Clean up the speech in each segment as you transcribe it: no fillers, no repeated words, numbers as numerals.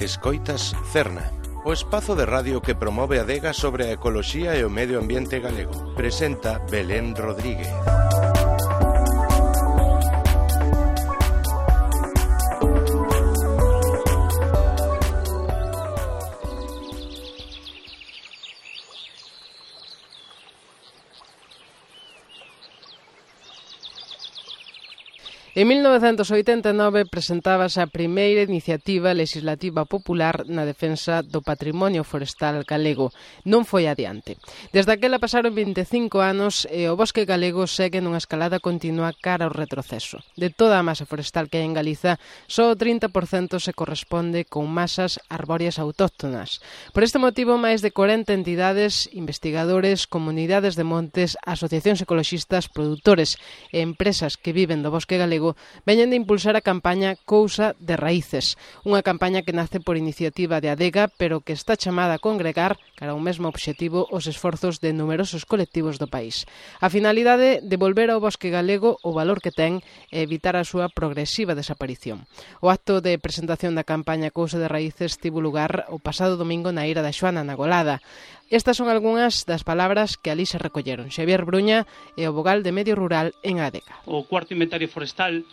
Escoitas Cerna, o espazo de radio que promove a adega sobre a ecoloxía e o medio ambiente galego. Presenta Belén Rodríguez. En 1989 presentábase a primeira iniciativa legislativa popular na defensa do patrimonio forestal galego. Non foi adiante. Desde aquela pasaron 25 anos e o bosque galego segue nunha escalada continua cara ao retroceso. De toda a masa forestal que hai en Galiza, só o 30% se corresponde con masas arbóreas autóctonas. Por este motivo, máis de 40 entidades, investigadores, comunidades de montes, asociacións ecoloxistas, produtores e empresas que viven do bosque galego veñen de impulsar a campaña Cousa de Raíces, unha campaña que nace por iniciativa de Adega, pero que está chamada a congregar cara a un mesmo obxectivo os esforzos de numerosos colectivos do país. A finalidade de volver ao bosque galego o valor que ten e evitar a súa progresiva desaparición. O acto de presentación da campaña Cousa de Raíces tivo lugar o pasado domingo na Ira da Xoana, na Golada. Estas son algunhas das palabras que ali se recolleron. Xavier Bruña é o vogal de Medio Rural en Adega. O cuarto inventario forestal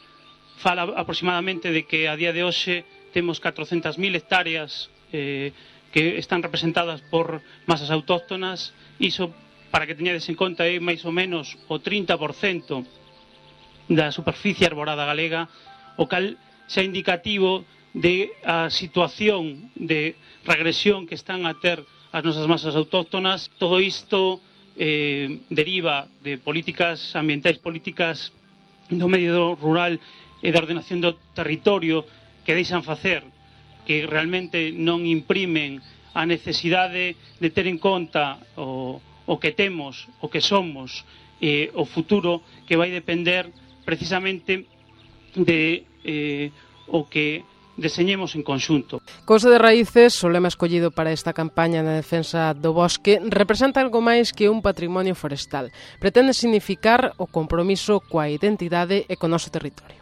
fala aproximadamente de que a día de hoxe temos 400.000 hectáreas que están representadas por masas autóctonas. Iso, para que teñades en conta, é máis ou menos o 30% da superficie arborada galega, o cal xa indicativo de a situación de regresión que están a ter as nosas masas autóctonas. Todo isto deriva de políticas ambientais, políticas do medio rural e da ordenación do territorio que deixan facer, que realmente non imprimen a necesidade de ter en conta o que temos, o que somos, o futuro, que vai depender precisamente de o que deseñemos en conxunto. Cousa de Raíces, o lema escollido para esta campaña na defensa do bosque, representa algo máis que un patrimonio forestal. Pretende significar o compromiso coa identidade e co noso territorio.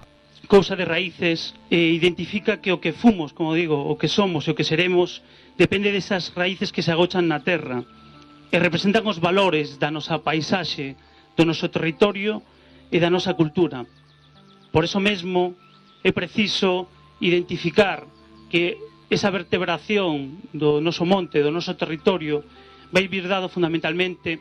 Cousa de Raíces identifica que o que fomos, como digo, o que somos e o que seremos, depende desas raíces que se agochan na terra e representan os valores da nosa paisaxe, do noso territorio e da nosa cultura. Por eso mesmo é preciso identificar que esa vertebración do noso monte, do noso territorio, vai vir dado fundamentalmente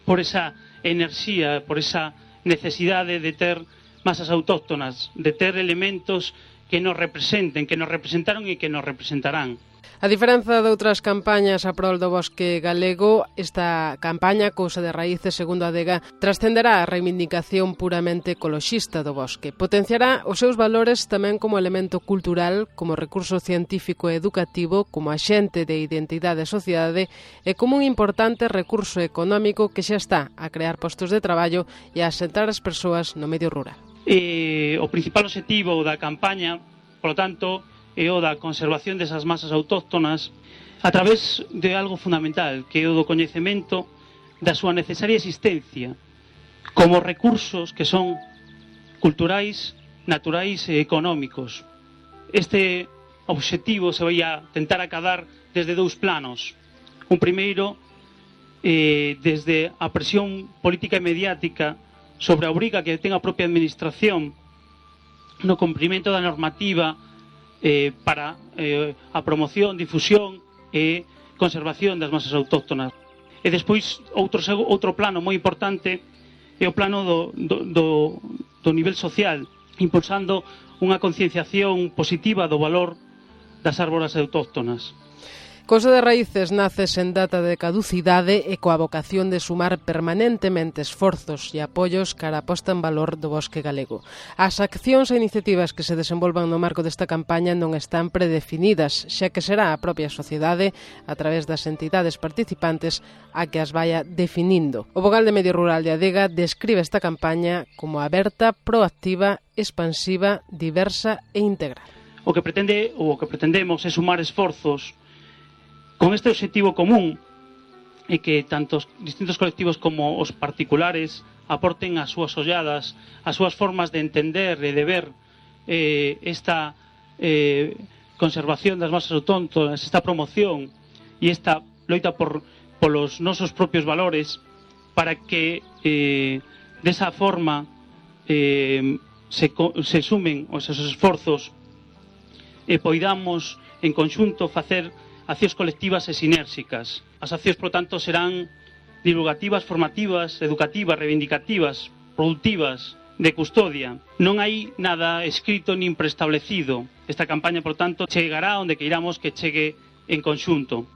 por esa enerxía, por esa necesidade de ter masas autóctonas, de ter elementos que nos representen, que nos representaron e que nos representarán. A diferenza de outras campañas a prol do bosque galego, esta campaña Cousa de Raíces, segundo Adega, trascenderá a reivindicación puramente ecoloxista do bosque. Potenciará os seus valores tamén como elemento cultural, como recurso científico e educativo, como axente de identidade e sociedade e como un importante recurso económico que xa está a crear postos de traballo e a asentar as persoas no medio rural. O principal obxectivo da campaña, polo tanto, e o da conservación desas masas autóctonas a través de algo fundamental, que é o do coñecemento da súa necesaria existencia como recursos que son culturais, naturais e económicos. Este obxectivo se vai a tentar acadar desde dous planos. Un primeiro, desde a presión política e mediática sobre a obriga que ten a propia administración no cumprimento da normativa para a promoción, difusión e conservación das masas autóctonas. E despois, outro plano moi importante é o plano do nivel social, impulsando unha concienciación positiva do valor das árbores autóctonas. Cousa de Raíces nace sen data de caducidade e coa vocación de sumar permanentemente esforzos e apoios cara a posta en valor do bosque galego. As accións e iniciativas que se desenvolvan no marco desta campaña non están predefinidas, xa que será a propia sociedade, a través das entidades participantes, a que as vaya definindo. O vogal de Medio Rural de Adega describe esta campaña como aberta, proactiva, expansiva, diversa e integral. O que pretendemos é sumar esforzos con este obxectivo común e que tanto os distintos colectivos como os particulares aporten as súas olladas, as súas formas de entender e de ver esta conservación das masas autóctonas, esta promoción e esta loita polos nosos propios valores, para que desa forma se sumen os seus esforzos e poidamos en conxunto facer accións colectivas e sinérxicas. As accións, por tanto, serán divulgativas, formativas, educativas, reivindicativas, productivas, de custodia. Non hai nada escrito nin preestablecido. Esta campaña, por tanto, chegará onde queiramos que chegue en conxunto.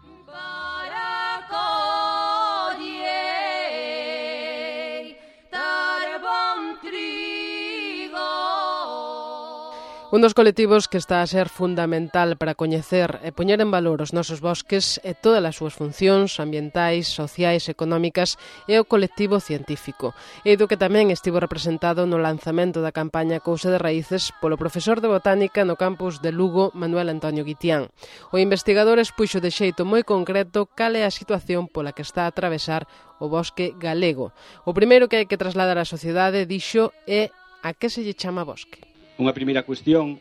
Un dos colectivos que está a ser fundamental para coñecer e poñer en valor os nosos bosques e todas as súas funcións ambientais, sociais, económicas é o colectivo científico. E do que tamén estivo representado no lanzamento da campaña Cousa de Raíces polo profesor de botánica no campus de Lugo, Manuel Antonio Guitián. O investigador expuxo de xeito moi concreto cal é a situación pola que está a atravesar o bosque galego. O primeiro que hai que trasladar á sociedade, dixo, é a que se lle chama bosque. Unha primeira cuestión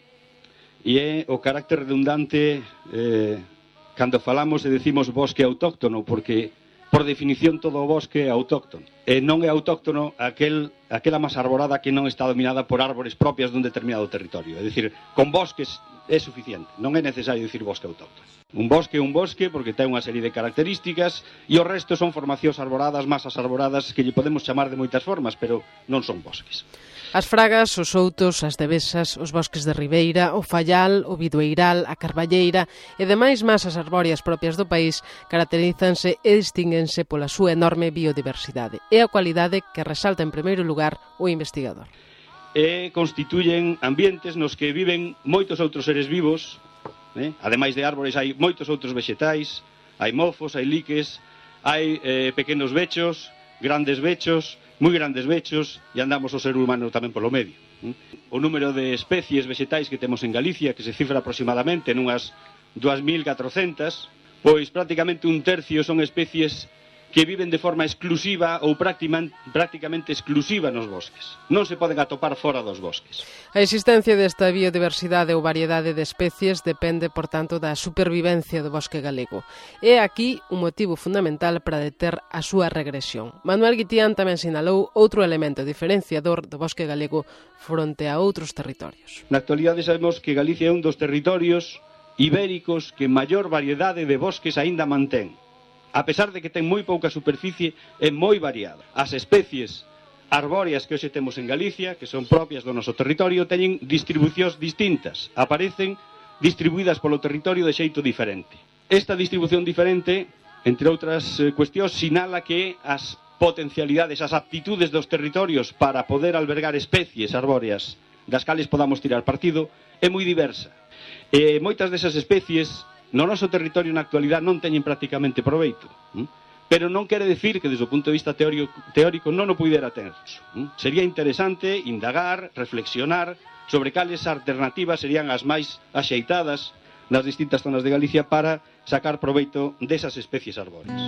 e é o carácter redundante cando falamos e decimos bosque autóctono, porque por definición todo o bosque é autóctono e non é autóctono aquela masa arborada que non está dominada por árbores propias dun determinado territorio. É dicir, con bosques é suficiente, non é necesario dicir bosque autóctono. Un bosque é un bosque porque ten unha serie de características e o resto son formacións arboradas, masas arboradas que lle podemos chamar de moitas formas, pero non son bosques. As fragas, os outos, as devesas, os bosques de ribeira, o fallal, o bidueiral, a carballeira e demais masas arbóreas propias do país caracterízanse e distínguense pola súa enorme biodiversidade e a cualidade que resalta en primeiro lugar o investigador. E constituyen ambientes nos que viven moitos outros seres vivos, ademais de árbores hai moitos outros vexetais, hai mofos, hai liques, hai pequenos bechos, grandes bechos, moi grandes bechos, e andamos o ser humano tamén polo medio. O número de especies vexetais que temos en Galicia, que se cifra aproximadamente nunhas 2.400, pois prácticamente un tercio son especies que viven de forma exclusiva ou prácticamente exclusiva nos bosques. Non se poden atopar fora dos bosques. A existencia desta biodiversidade ou variedade de especies depende, por tanto, da supervivencia do bosque galego. É aquí un motivo fundamental para deter a súa regresión. Manuel Guitián tamén sinalou outro elemento diferenciador do bosque galego fronte a outros territorios. Na actualidade sabemos que Galicia é un dos territorios ibéricos que maior variedade de bosques aínda mantén. A pesar de que ten moi pouca superficie, é moi variada. As especies arbóreas que hoxe temos en Galicia, que son propias do noso territorio, teñen distribucións distintas. Aparecen distribuídas polo territorio de xeito diferente. Esta distribución diferente, entre outras cuestións, sinala que as potencialidades, as aptitudes dos territorios para poder albergar especies arbóreas das cales podamos tirar partido, é moi diversa. E moitas desas especies no noso territorio na actualidade non teñen prácticamente proveito, pero non quere decir que desde o punto de vista teórico non o puidera ter. Sería interesante indagar, reflexionar sobre cales alternativas serían as máis axeitadas nas distintas zonas de Galicia para sacar proveito desas especies arbóreas.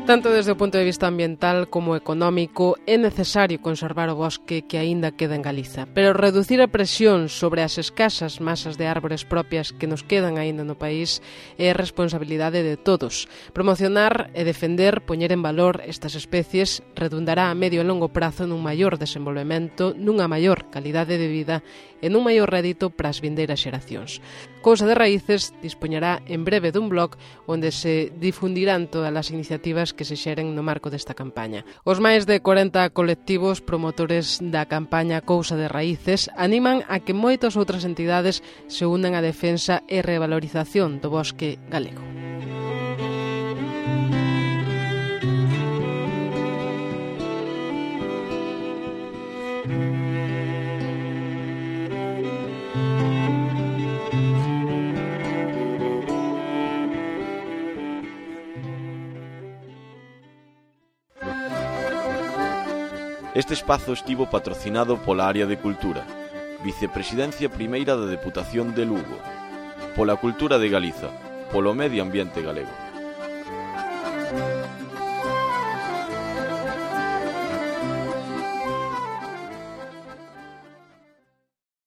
Tanto desde o punto de vista ambiental como económico, é necesario conservar o bosque que aínda queda en Galiza, pero reducir a presión sobre as escasas masas de árbores propias que nos quedan aínda no país é responsabilidade de todos. Promocionar e defender, poñer en valor estas especies redundará a medio e longo prazo nun maior desenvolvemento, nunha maior calidade de vida e nun maior rédito para as vindeiras xeracións. Cousa de Raíces dispoñerá en breve dun blog onde se difundirán todas as iniciativas que se xeren no marco desta campaña. Os máis de 40 colectivos promotores da campaña Cousa de Raíces animan a que moitas outras entidades se unan á defensa e revalorización do bosque galego. Este espazo estivo patrocinado pola Área de Cultura, Vicepresidencia Primeira da Deputación de Lugo, pola Cultura de Galiza, polo Medio Ambiente Galego.